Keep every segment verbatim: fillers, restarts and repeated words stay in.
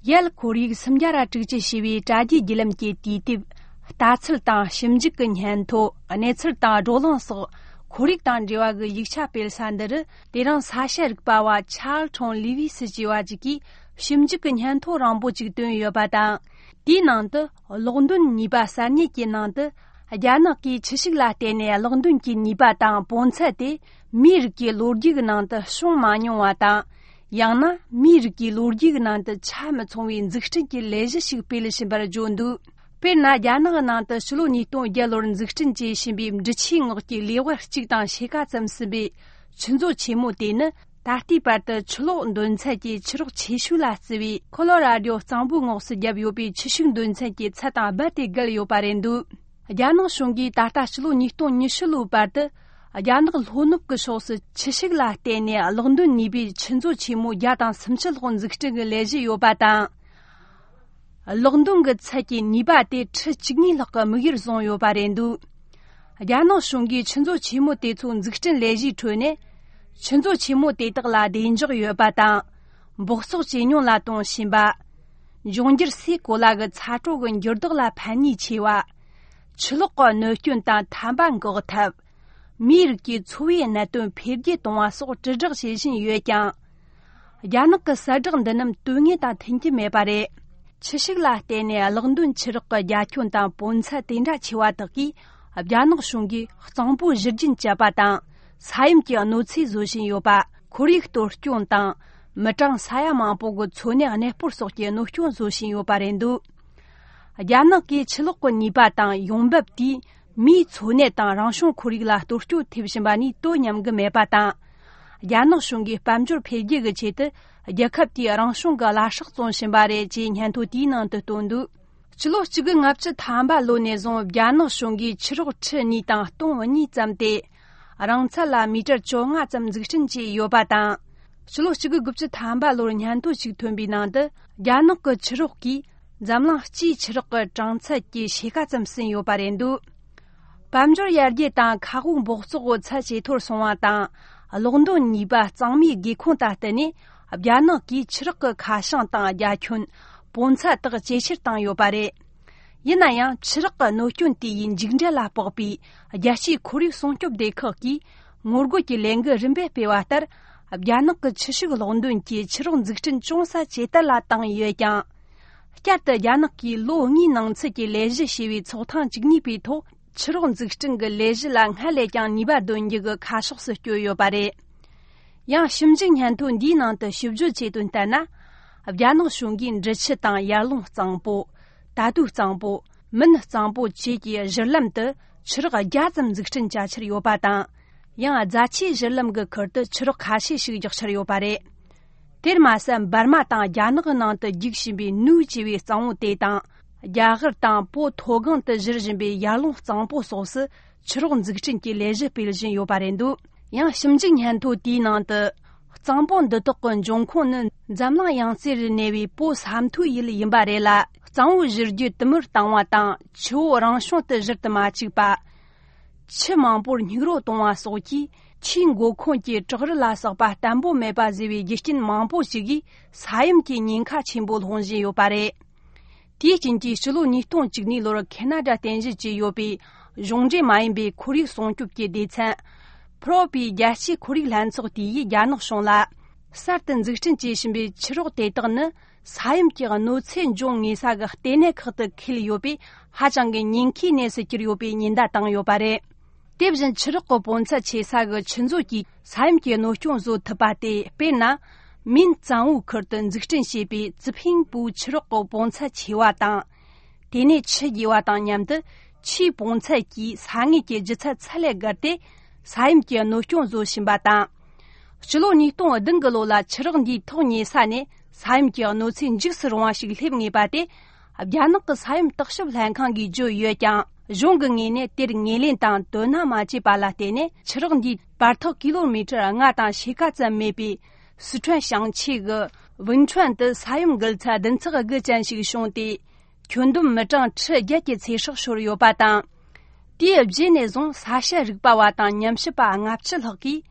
རྒྱལ་ཁོར་ཡུག་སུམ་བརྒྱ་ར་དྲུག་ཅུ་ཞེས་པའི་དྲ་རྒྱའི་བརྒྱུད་ལམ་གྱི་དུས་དེབ། ལྟ་ཚུལ་དང་ཞིབ་འཇུག་གི་སྙན་ཐོ། གནས་ཚུལ་དང་བགྲོ་གླེང་སོགས་ཁོར་ཡུག་དང་འབྲེལ་བ་གི་ཡིག་ཆ་སྤེལ་ས་འདི་རུ། དེ་རིང་ས་ཤ་རིག་པ་བ་ཆརལ་ཁྲོང་ལི་ཝི་སི་ཅེས་པ་ཅིག་གིས་ཞིབ་འཇུག་གི་སྙན་ཐོ་རིང་པོ་ཅིག་བཏོན་ཡོད་པ་དང་། དེའི་ནང་དུ་གློག་འདོན་ནུས་པ་གསར་རྙེད་ཀྱི་ནང་དུ། རྒྱ་ནག་གིས་ཆུ་ཤུགས་ལ་བརྟེན་ནས་གློག་འདོན་གྱི་ནུས་པ་དང་པོ་ཚད་དེ་མིའི་རིགས་ཀྱི་ལོ་རྒྱུས་ཀྱི་ནང་དུ་བྱུང་མ་མྱོང་བ་དང་། ཡང་ན་མིའི་རིགས་ཀྱི་ལོ་རྒྱུས་ཀྱི་ནང་དུ་ཆ་མི་ཚང་བའི་འཛུགས་སྐྲུན་གྱི་ལས་གཞི་ཞིག་སྤེལ་བཞིན་པར་བརྗོད་འདུག་དཔེར་ན། རྒྱ་ནག་གི་ནང་དུ་ཕྱི་ལོ་ཉིས་སྟོང་བརྒྱད་ལོར་འཛུགས་སྐྲུན་བྱས་ཟིན་པའི་འབྲི་ཆུའི་ངོགས་ཀྱི་ལེ་དབར་གཅིག་དང་ཕྱེད་ཀ་ཙམ་ཟིན་པའི་ཆུ་མཛོད་ཆེན་མོ་དེ་ནི། ད་ལྟའི་བར་དུ་ཆུ་ལོག་འདོན་ཚད་ཀྱི་ཆུ་རགས་ཆེ་ཤོས་ལ་བརྩི་བའི་ཁོ་ལོ་ར་ཌོ་གཙང་པོའི་ངོགས་སུ་བརྒྱབ་ཡོད་པའི་ཆུ་ཤུགས་འདོན་ཚད་ཀྱི་ཚད་དང་རྦད་དེ་བརྒལ་ཡོད་པ་རེད་འདུག་རྒྱ་ནག་གཞུང་གིས་ད་ལྟ་ཕྱི་ལོ་ཉིས་སྟོང་ཉི་ཤུ་ལོའི་བར་དུ། རྒྱ་ནག་ལྷོ་ནུབ་ཀྱི་ཕྱོགས་སུ་ཆུ་ཤུགས་ལ་བརྟེན་ནས་གློག་འདོན་ནུས་པའི་ཆུ་མཛོད་ཆེན་མོ་བརྒྱ་དང་སུམ་ཅུ་ལྷག་འཛུགས་སྐྲུན་གྱི་ལས་གཞི་ཡོད་པ་དང་། གློག་འདོན་གྱི་ཚད་ཀྱི་ནུས་པ་དེ་ཁྲི་བཅུ་གཉིས་ལྷག་གི་དམིགས་ཡུལ་བཟུང་ཡོད་པ་རེད་འདུག་རྒྱ་ནག་གཞུང་གིས་ཆུ་མཛོད་ཆེན་མོ་དེ་ཚོའི་འཛུགས་སྐྲུན་ལས་གཞིའི་ཁྲོད་ནས། ཆུ་མཛོད་ཆེན་མོ་དེ་དག་ལ་བདེ་འཇགས་ཡོད་པ་དང་། འབག་བཙོག་ཇེ་ཉུང་ལ་གཏོང་བཞིན་པ། འབྱུང་འགྱུར་སའི་གོ་ལ་གི་ཚ་དྲོད་ཀྱི་འགྱུར་ལྡོག་ལ་ཕན་ནུས་ཆེ་བ། ཆུ་ལོག་གི་གནོད་སྐྱོན་དང་ཐན་པ་འགོག་ཐབས། མིའི་རིགས་ཀྱི་འཚོ་བའི་གནད་དོན་འཕེལ་རྒྱས་གཏོང་བ་སོགས་དྲིལ་བསྒྲགས་བྱེད་བཞིན་ཡོད་ཀྱང་། རྒྱ་ནག་གི་གསལ་བསྒྲགས་འདི་རྣམས་དོན་དངོས་དང་མཐུན་གྱི་མེད་པ་རེད། ཆུ་ཤུགས་ལ་བརྟེན་ནས་གློག་འདོན་ཆུ་རགས་ཀྱི་རྒྱ་ཁྱོན་དང་པོ་ཚད་དེ་འདྲ་ཆེ་བ་དག་གིས། རྒྱ་ནག་གཞུང་གིས་གཙང་པོ་བཞུར་རྒྱུན་བཅད་པ་དང་། ས་ཡོམ་གྱི་གནོད་འཚེ་བཟོ་བཞིན་ཡོད་པ། ཁོར་ཡུག་གཏོར་སྐྱོན་དང་། མི་གྲངས་ས་ཡ་མང་པོ་གི་འཚོ་གནས་གནས་སྤོར་སོགས་ཀྱི་གནོད་སྐྱོན་བཟོ་བཞིན་ཡོད་པ་རེད་འདུག་རྒྱ་ནག་གིས་ཆུ་ལོག་གི་ནུས་པ་དང་ཡོང་འབབ་དེས་མིའི་འཚོ་གནས་དང་རང་བྱུང་ཁོར་ཡུག་ལ་གཏོར་སྐྱོན་ཐེབས་བཞིན་པ་ནི་དོ་མཉམ་གྱི་མེད་པ་དང་། རྒྱ་ནག་གཞུང་གིས་དཔལ་འབྱོར་འཕེལ་རྒྱས་ཀྱི་ཆེད་དུ་རྒྱལ་ཁབ་དེའི་རང་བྱུང་གི་བླ་སྲོག་བཙོང་བཞིན་པ་རེད་ཅེས་སྙན་ཐོ་དེའི་ནང་དུ་བཏོན་འདུག་སྤྱི་ལོ་གཅིག་དགུ་ལྔ་བཅུ་ཐམ་པ་ལོ་ནས་བཟུང་རྒྱ་ནག་གཞུང་གིས་ཆུ་རགས་ཁྲི་གཉིས་དང་སྟོང་གཉིས་བརྩམས་ཏེ། རིང་ཚད་ལ་མི་ཊར་བཅོ་ལྔ་ཙམ་འཛུགས་སྐྲུན་བྱས་ཡོད་པ་དང་། ཕྱི་ལོ་གཅིག་དགུ་དགུ་བཅུ་ཐམ་པ་ལོར་སྙན་ཐོ་ཞིག་ཐོན་པའི་ནང་དུ། རྒྱ་ནག་གི་ཆུ་རགས་ཀྱིས་འཛམ་གླིང་སྤྱིའི་ཆུ་རགས་ཀྱི་གྲངས་ཚད་ཀྱི་ཕྱེད་ཀ་ཙམ་ཟིན་ཡོད་པ་རེད་འདུག་དཔལ་འབྱོར་ཡར་རྒྱས་དང་མཁའ་དབུགས་འབག་བཙོག་གི་ཚད་ཇེ་མཐོར་སོང་བ་དང་། གློག་འདོན་ནུས་པ་གཙང་མའི་སྒེའུ་ཁུང་དང་བསྟུན་ནས། རྒྱ་ནག་གིས་ཆུ་རགས་ཀྱི་ཁ་བྱང་དང་རྒྱ་ཁྱོན། པོ་ཚད་དག་ཇེ་ཆེར་བཏང་ཡོད་པ་རེད། ཡིན་ན་ཡང་ཆུ་རགས་ཀྱི་གནོད་སྐྱོན་དེ་ཡི་མཇུག་འབྲས་ལ་དཔག་པའི་རྒྱལ་སྤྱིའི་ཁོར་ཡུག་སྲུང་སྐྱོབ་སྡེ་ཁག་གིས་ངོ་རྒོལ་གྱི་ལས་འགུལ་རིམ་པས་སྤེལ་བ་ལྟར། རྒྱ་ནག་གི་ཆུ་ཤུགས་གློག་འདོན་གྱི་ཆུ་རགས་འཛུགས་སྐྲུན་ཅུང་ཟད་ཇེ་དལ་ལ་བཏང་ཡོད་ཀྱང་། བསྐྱར་དུ་རྒྱ་ནག་གིས་ལོ་ལྔའི་ནང་ཚུད་ཀྱི་ལས་གཞི་ཞེས་པའི་ཚོགས་ཐེངས་བཅུ་གཉིས་པའི་ཐོག་ཆུ་རགས་འཛུགས་སྐྲུན་གྱི་ལས་གཞི་ལ་སྔར་ལས་ཀྱང་ནུས་པ་འདོན་རྒྱུ་གི་ཁ་ཕྱོགས་སུ་བསྐྱོད་ཡོད་པ་རེད། ཡང་ཞིབ་འཇུག་སྙན་ཐོ་འདིའི་ནང་དུ་ཞིབ་བརྗོད་བྱས་དོན་ལྟར་ན། རྒྱ་ནག་གཞུང་གིས་འབྲི་ཆུ་དང་ཡར་ཀླུང་གཙང་པོ། ད་དུའུ་གཙང་པོ། མིན་གཙང་པོ་བཅས་ཀྱི་བཞུར་ལམ་དུ་ཆུ་རགས་བརྒྱ་ཙམ་འཛུགས་སྐྲུན་བྱ་འཆར་ཡོད་པ་དང་། ཡང་རྫ་ཆུའི་བཞུར་ལམ་གྱི་ཁུལ་དུ་ཆུ་རགས་ཁ་ཤས་ཤིག་རྒྱག་འཆར་ཡོད་པ་རེད། དེར་མ་ཟད་འབར་མ་དང་རྒྱ་ནག་གི་ནང་དུ་རྒྱུག་བཞིན་པའི་ནུའུ་ཅེས་པའི་གཙང་བོ་དེ་དང་། རྒྱ་གར་དང་པོ་མཐོ་སྒང་དུ་བཞུར་བཞིན་པའི་ཡར་ཀླུང་གཙང་པོ་སོགས་སུ་ཆུ་རགས་འཛུགས་སྐྲུན་གྱི་ལས་གཞི་སྤེལ་བཞིན་ཡོད་པ་རེད་འདུག་ཡང་ཞིབ་འཇུག་སྙན་ཐོ་དེའི་ནང་དུ། གཙང་པོ་འདི་དག་གི་འབྱུང་ཁུངས་ནི་འཛམ་གླིང་ཡང་རྩེ་རུ་གནས་པའི་པོ་ས་མཐོའི་ཡུལ་ཡིན་པ་རེད་ལ། གཙང་བོའི་བཞུར་རྒྱུ་དུ་མར་བཏང་བ་དང་ཆུ་བོ་རང་བྱུང་དུ་བཞུར་དུ་མ་བཅུག་པ། ཆུ་མང་པོར་སྙིགས་རོ་གཏོང་བ་སོགས་ཀྱིས་ཆུའི་མགོ་ཁུངས་ཀྱི་བྲག་རི་ལ་སོགས་པ་བརྟན་པོ་མེད་པ་བཟོས་པའི་རྒྱུ་རྐྱེན་མང་པོ་ཞིག་གིས་ས་ཡོམ་གྱི་ཉེན་ཁ་ཆེན་པོ་སློང་བཞིན་ཡོད་པ་རེད། དེའི་རྐྱེན་གྱིས་ཕྱི་ལོ་ཉིས་སྟོང་བཅུ་གཉིས་ལོར་ཁེ་ན་ཌ་རྟེན་གཞི་བྱས་ཡོད་པའི་གཞུང་འབྲེལ་མ་ཡིན་པའི་ཁོར་ཡུག་སྲུང་སྐྱོབ་ཀྱི་སྡེ་ཚན། ཕུ་རོ་པའི་རྒྱལ་སྤྱིའི་ཁོར་ཡུག་ལྷན་ཚོགས་དེ་ཡིས་རྒྱ་ནག་གཞུང་ལ། གསར་དུ་འཛུགས་སྐྲུན་བྱེད་བཞིན་པའི་ཆུ་རགས་དེ་དག་ནི་ས་ཡོམ་གྱི་གནོད་འཚེ་འབྱུང་ངེས་ས་གི་ལྟེ་གནས་ཁག་ཏུ་འཁེལ་ཡོད་པས། ཧ་ཅང་གི་ཉེན་ཁའི་གནས་སུ་གྱུར་ཡོད་པའི་ཉེན་བརྡ་བཏང་ཡོད་པ་རེད། དེ་བཞིན་ཆུ་རགས་ཀྱི་པོ་ཚད་ཆེ་ས་གི་ཆུ་མཛོད་ཀྱིས་ས་ཡོམ་གྱི་གནོད་སྐྱོན་བཟོ་ཐུབ་པ་སྟེ། དཔེར་ན། མིན་གཙང་བོའི་ཁུལ་དུ་འཛུགས་སྐྲུན་བྱས་པའི་ཙི་ཕིང་པུའུ་ཆུ་རགས་ཀྱི་པོ་ཚད་ཆེ་བ་དང་། དེ་ནས་ཆུ་རྒྱས་པ་དང་མཉམ་དུ་ཆུའི་པོ་ཚད་ཀྱིས་ས་ངོས་ཀྱི་ལྗིད་ཚད་ཚད་ལས་བརྒལ་ཏེ་ས་ཡོམ་གྱི་གནོད་སྐྱོན་བཟོ་བཞིན་པ་དང་། སྤྱི་ལོ་ཉིས་སྟོང་བདུན་གྱི་ལོ་ལ་ཆུ་རགས་འདིའི་ཐོག་ཉེ་ས་ནས་ས་ཡོམ་གྱི་གནོད་འཚེ་འཇིགས་སུ་རུང་བ་ཞིག་སླེབས་ངེས་པ་དེ། རྒྱ་ནག་གི་ས་ཡོམ་བརྟག་ཞིབ་ལྷན་ཁང་གིས་བརྗོད་ཡོད་ཀྱང་། གཞུང་གི་ངོས་ནས་དེར་ངོས་ལེན་དང་དོ་སྣང་མ་བྱས་པ་ལ་བརྟེན་ནས། ཆུ་རགས་འདིའི་བར་ཐག་ཀི་ལོ་མི་ཊར་ལྔ་དང་ཕྱེད་ཀ་ཙམ་མེད་པའི་སི་ཁྲོན་ཞིང་ཆེན་གྱི་ཝུན་ཁྲོན་དུ་ས་ཡོམ་འགུལ་ཚད་བདུན་ཚེག་དགུ་ཅན་ཞིག་བྱུང་སྟེ། ཁྱོན་བསྡོམས་མི་གྲངས་ཁྲི་བརྒྱད་ཀྱི་ཚེ་སྲོག་ཤོར་ཡོད་པ་དང་། དེའི་རྗེས་ནས་བཟུང་ས་ཤ་རིག་པ་བ་དང་ཉམས་ཞིབ་པ་ལྔ་བཅུ་ལྷག་གིས།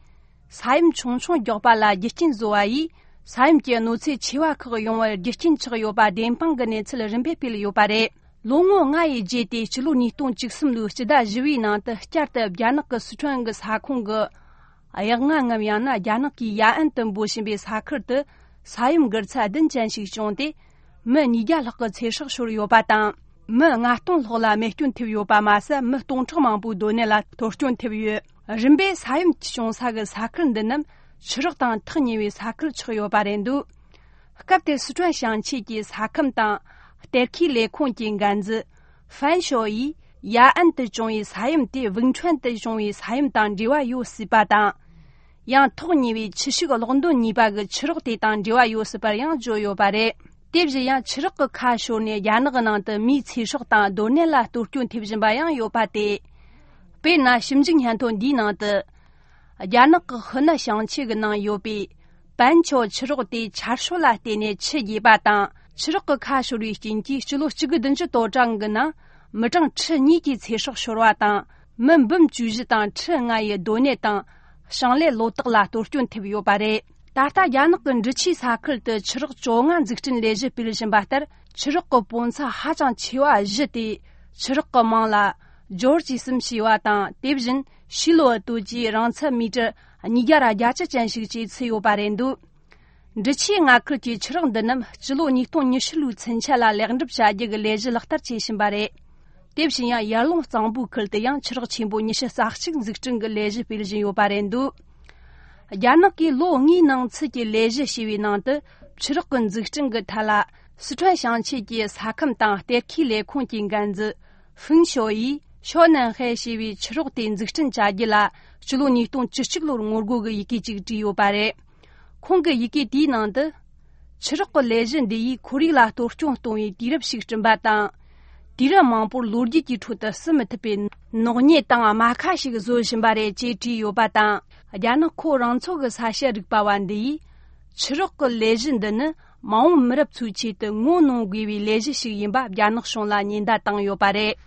ས་ཡོམ་ཆུང་ཆུང་མགྱོགས་པ་ལ་རྒྱུ་རྐྱེན་བཟོ་བ་ཡིས། ས་ཡོམ་གྱི་གནོད་འཚེ་ཆེ་བ་ཁག་ཡོང་བར་རྒྱུ་རྐྱེན་ཆགས་ཡོད་པ་བདེན་དཔང་གི་གནས་ཚུལ་རིམ་པས་སྤེལ་ཡོད་པ་རེད། ལོ་ངོ་ལྔ་ཡི་རྗེས་ཏེ་ཕྱི་ལོ་ཉིས་སྟོང་བཅུ་གསུམ་ལོའི་སྤྱི་ཟླ་བཞི་བའི་ནང་དུ་བསྐྱར་དུ་རྒྱ་ནག་གི་སི་ཁྲོན་གྱི་ས་ཁོངས་ཀྱི་གཡག་རྔ་ངམ་ཡང་ན་རྒྱ་ནག་གིས་ཡ་ཨན་དུ་འབོད་བཞིན་པའི་ས་ཁུལ་དུ་ས་ཡོམ་འགུལ་ཚད་བདུན་ཅན་ཞིག་བྱུང་སྟེ། མི་ཉིས་བརྒྱ་ལྷག་གི་ཚེ་སྲོག་ཤོར་ཡོད་པ་དང་། མི་ལྔ་སྟོང་ལྷག་ལ་རྨས་སྐྱོན་ཐེབས་ཡོད་པ་མ་ཟད། མི་སྟོང་ཕྲག་མང་པོའི་སྡོད་གནས་ལ་གཏོར་སྐྱོན་ཐེབས་ཡོད། རིམ་པས་ས་ཡོམ་བྱུང་ས་གི་ས་ཁུལ་འདི་རྣམས་ཆུ་རགས་དང་ཐག་ཉེ་བའི་ས་ཁུལ་ཆགས་ཡོད་པ་རེད་འདུག་སྐབས་དེར་སི་ཁྲོན་ཞིང་ཆེན་གྱི་ས་ཁམས་དང་གཏེར་ཁའི་ལས་ཁུངས་ཀྱི་འགན་འཛིན་ཧྥན་ཞོ་ཡིས། ཡ་ཨན་དུ་བྱུང་བའི་ས་ཡོམ་དེ་ཝུན་ཁྲོན་དུ་བྱུང་བའི་ས་ཡོམ་དང་འབྲེལ་བ་ཡོད་སྲིད་པ་དང་། ཡང་ཐག་ཉེ་བའི་ཆུ་ཤུགས་གློག་འདོན་ནུས་པ་གི་ཆུ་རགས་དེ་དང་འབྲེལ་བ་ཡོད་སྲིད་པར་ཡང་བརྗོད་ཡོད་པ་རེད། དེ་བཞིན་ཡང་ཆུ་རགས་ཀྱི་ཁ་ཤོར་ནས་རྒྱ་ནག་གི་ནང་དུ་མིའི་ཚེ་སྲོག་དང་སྡོད་གནས་ལ་གཏོར་སྐྱོན་ཐེབས་བཞིན་པ་ཡང་ཡོད་པ་སྟེ། དཔེར་ན། ཞིབ་འཇུག་སྙན་ཐོ་འདིའི་ནང་དུ། རྒྱ་ནག་གི་ཧི་ནན་ཞིང་ཆེན་གྱི་ནང་ཡོད་པའི་པན་ཆོ་ཆུ་རགས་དེ་ཆར་ཤུགས་ལ་བརྟེན་ནས་ཆུ་རྒྱས་པ་དང་། ཆུ་རགས་ཀྱི་ཁ་ཤོར་བའི་རྐྱེན་གྱིས་སྤྱི་ལོ་གཅིག་དགུ་བདུན་ཅུ་དོན་གྲངས་ཀྱི་ནང་མི་གྲངས་ཁྲི་གཉིས་ཀྱི་ཚེ་སྲོག་ཤོར་བ་དང་། མི་འབུམ་བཅུ་བཞི་དང་ཁྲི་ལྔ་ཡི་སྡོད་གནས་དང་ཞིང་ལས་ལོ་ཏོག་ལ་གཏོར་སྐྱོན་ཐེབས་ཡོད་པ་རེད། ད་ལྟ་རྒྱ་ནག་གི་འབྲི་ཆུའི་ས་ཁུལ་དུ་ཆུ་རགས་བཅོ་ལྔ་འཛུགས་སྐྲུན་ལས་གཞི་སྤེལ་བཞིན་པ་ལྟར། ཆུ་རགས་ཀྱི་སྤུས་ཚད་ཧ་ཅང་ཆེ་བ་བཞི་སྟེ། ཆུ་རགས་ཀྱི་མིང་ལ་ཇོར་ཅི་སིམ་ཞེས་པ་དང་། དེ་བཞིན་ཤི་ལོ་ཏུ་ཅི་རིང་ཚད་མི་ཊར་ཉིས་བརྒྱ་ར་བརྒྱད་ཅུ་ཅན་ཞིག་བཅས་ཚུད་ཡོད་པ་རེད་འདུག་འབྲི་ཆུའི་མངའ་ཁུལ་གྱི་ཆུ་རགས་འདི་རྣམས་སྤྱི་ལོ་ཉིས་སྟོང་ཉི་ཤུ་ལོའི་ཚུན་ཆད་ལ་ལེགས་འགྲུབ་བྱ་རྒྱུ་གི་ལས་གཞི་ལག་བསྟར་བྱེད་བཞིན་པ་རེད། དེ་བཞིན་ཡང་ཡར་ཀླུང་གཙང་པོའི་ཁུལ་དུ་ཡང་ཆུ་རགས་ཆེན་པོ་ཉི་ཤུ་རྩ་གཅིག་འཛུགས་སྐྲུན་གྱི་ལས་གཞི་སྤེལ་བཞིན་ཡོད་པ་རེད་འདུག་རྒྱ་ནག་གིས་ལོ་ལྔའི་ནང་ཚུད་ཀྱི་ལས་གཞི་ཞེས་པའི་ནང་དུ། ཆུ་རགས་ཀྱི་འཛུགས་སྐྲུན་གྱི་ཐད་ལ། སི་ཁྲོན་ཞིང་ཆེན་གྱི་ས་ཁམས་དང་གཏེར་ཁའི་ལས་ཁུངས་ཀྱི་འགན་འཛིན་ཧྥུང་ཞོ་ཡིས། ཞོ་ནན་ཧེ་ཞེས་པའི་ཆུ་རགས་དེ་འཛུགས་སྐྲུན་བྱ་རྒྱུ་ལ། སྤྱི་ལོ་ཉིས་སྟོང་བཅུ་གཅིག་ལོར་ངོ་རྒོལ་གྱི་ཡི་གེ་ཅིག་བྲིས་ཡོད་པ་རེད། ཁོང་གི་ཡི་གེ་དེའི་ནང་དུ། ཆུ་རགས་ཀྱི་ལས་གཞི་འདི་ཡིས་ཁོར་ཡུག་ལ་གཏོར་སྐྱོན་གཏོང་བའི་དུས་རབས་ཤིག་བསྐྲུན་པ་དང་། དུས་རབས་མང་པོར་ལོ་རྒྱུས་ཀྱི་ཁྲོད་དུ་བསུ་མི་ཐུབ་པའི་ནག་ཉེས་དང་རྨ་ཁ་ཞིག་བཟོ་བཞིན་པ་རེད་ཅེས་བྲིས་ཡོད་པ་དང་། རྒྱ་ནག་ཁོ་རང་ཚོ་གི་ས་དཔྱད་རིག་པ་བ་འདི་ཡིས། ཆུ་རགས་ཀྱི་ལས་གཞི་འདི་ནི་མ་འོངས་མི་རབས་ཚོའི་ཆེད་དུ་ངོ་གནོང་དགོས་པའི་ལས་གཞི་ཞིག་ཡིན་པ་རྒྱ་ནག་གཞུང་ལ་ཉེན་བརྡ་བཏང་ཡོད་པ་རེད།